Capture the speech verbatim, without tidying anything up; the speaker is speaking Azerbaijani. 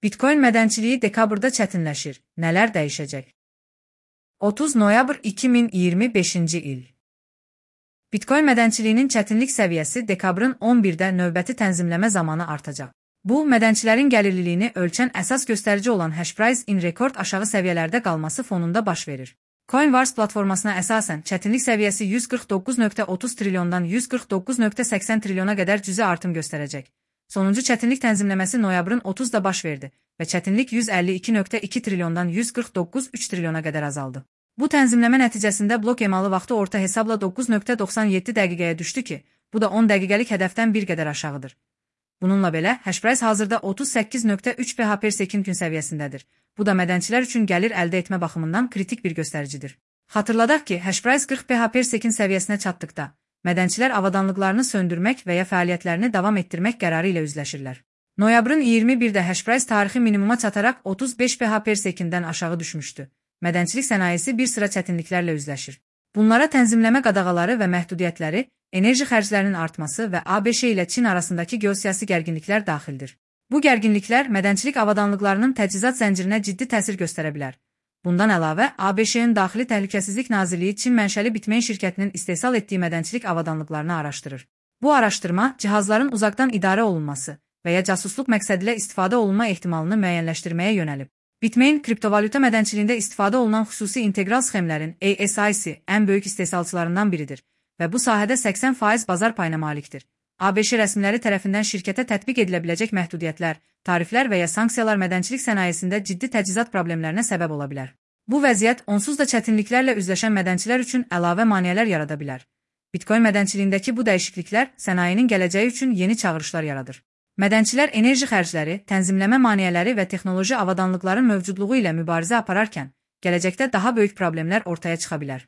Bitcoin mədənçiliyi dekabrda çətinləşir. Nələr dəyişəcək? otuz noyabr iki min iyirmi beşinci il. Bitcoin mədənçiliyinin çətinlik səviyyəsi dekabrın on birdə növbəti tənzimləmə zamanı artacaq. Bu, mədənçilərin gəlirliliyini ölçən əsas göstərici olan hash price in rekord aşağı səviyyələrdə qalması fonunda baş verir. Coinbase platformasına əsasən çətinlik səviyyəsi yüz qırx doqquz nöqtə otuz trilyondan yüz qırx doqquz nöqtə səksən trilyona qədər cüzi artım göstərəcək. Sonuncu çətinlik tənzimləməsi noyabrın otuzda baş verdi və çətinlik yüz əlli iki nöqtə iki trilyondan yüz qırx doqquz nöqtə üç trilyona qədər azaldı. Bu tənzimləmə nəticəsində blok emalı vaxtı orta hesabla doqquz nöqtə doxsan yeddi dəqiqəyə düşdü ki, bu da on dəqiqəlik hədəfdən bir qədər aşağıdır. Bununla belə, hash price hazırda otuz səkkiz nöqtə üç pH per sekund gün səviyyəsindədir. Bu da mədənçilər üçün gəlir əldə etmə baxımından kritik bir göstəricidir. Xatırladaq ki, hash price qırx pH per sekund səviyyəsinə çatdıqda, mədənçilər avadanlıqlarını söndürmək və ya fəaliyyətlərini davam etdirmək qərarı ilə üzləşirlər. Noyabrın iyirmi birdə hash price tarixi minimuma çataraq otuz beş pH per sekunddən aşağı düşmüşdü. Mədənçilik sənayesi bir sıra çətinliklərlə üzləşir. Bunlara tənzimləmə qadağaları və məhdudiyyətləri, enerji xərclərinin artması və ABŞ ilə Çin arasındakı geosiyasi gərginliklər daxildir. Bu gərginliklər mədənçilik avadanlıqlarının təchizat zəncirinə ciddi təsir göstərə bilər. Bundan əlavə, ABŞ-ın Daxili Təhlükəsizlik Nazirliyi Çin mənşəli Bitmain şirkətinin istehsal etdiyi mədənçilik avadanlıqlarını araşdırır. Bu araşdırma, cihazların uzaqdan idarə olunması və ya casusluq məqsədilə istifadə olunma ehtimalını müəyyənləşdirməyə yönəlib. Bitmain, kriptovalyuta mədənçiliyində istifadə olunan xüsusi integral sxemlərin A S I C ən böyük istehsalçılarından biridir və bu sahədə səksən faiz bazar payına malikdir. ABŞ rəsmiləri tərəfindən şirkətə tətbiq edilə biləcək məhdudiyyətlər, tariflər və ya sanksiyalar mədənçilik sənayesində ciddi təchizat problemlərinə səbəb ola bilər. Bu vəziyyət onsuz da çətinliklərlə üzləşən mədənçilər üçün əlavə maneələr yarada bilər. Bitcoin mədənçiliyindəki bu dəyişikliklər sənayenin gələcəyi üçün yeni çağırışlar yaradır. Mədənçilər enerji xərcləri, tənzimləmə maneələri və texnoloji avadanlıqların mövcudluğu ilə mübarizə apararkən, gələcəkdə daha böyük problemlər ortaya çıxa bilər.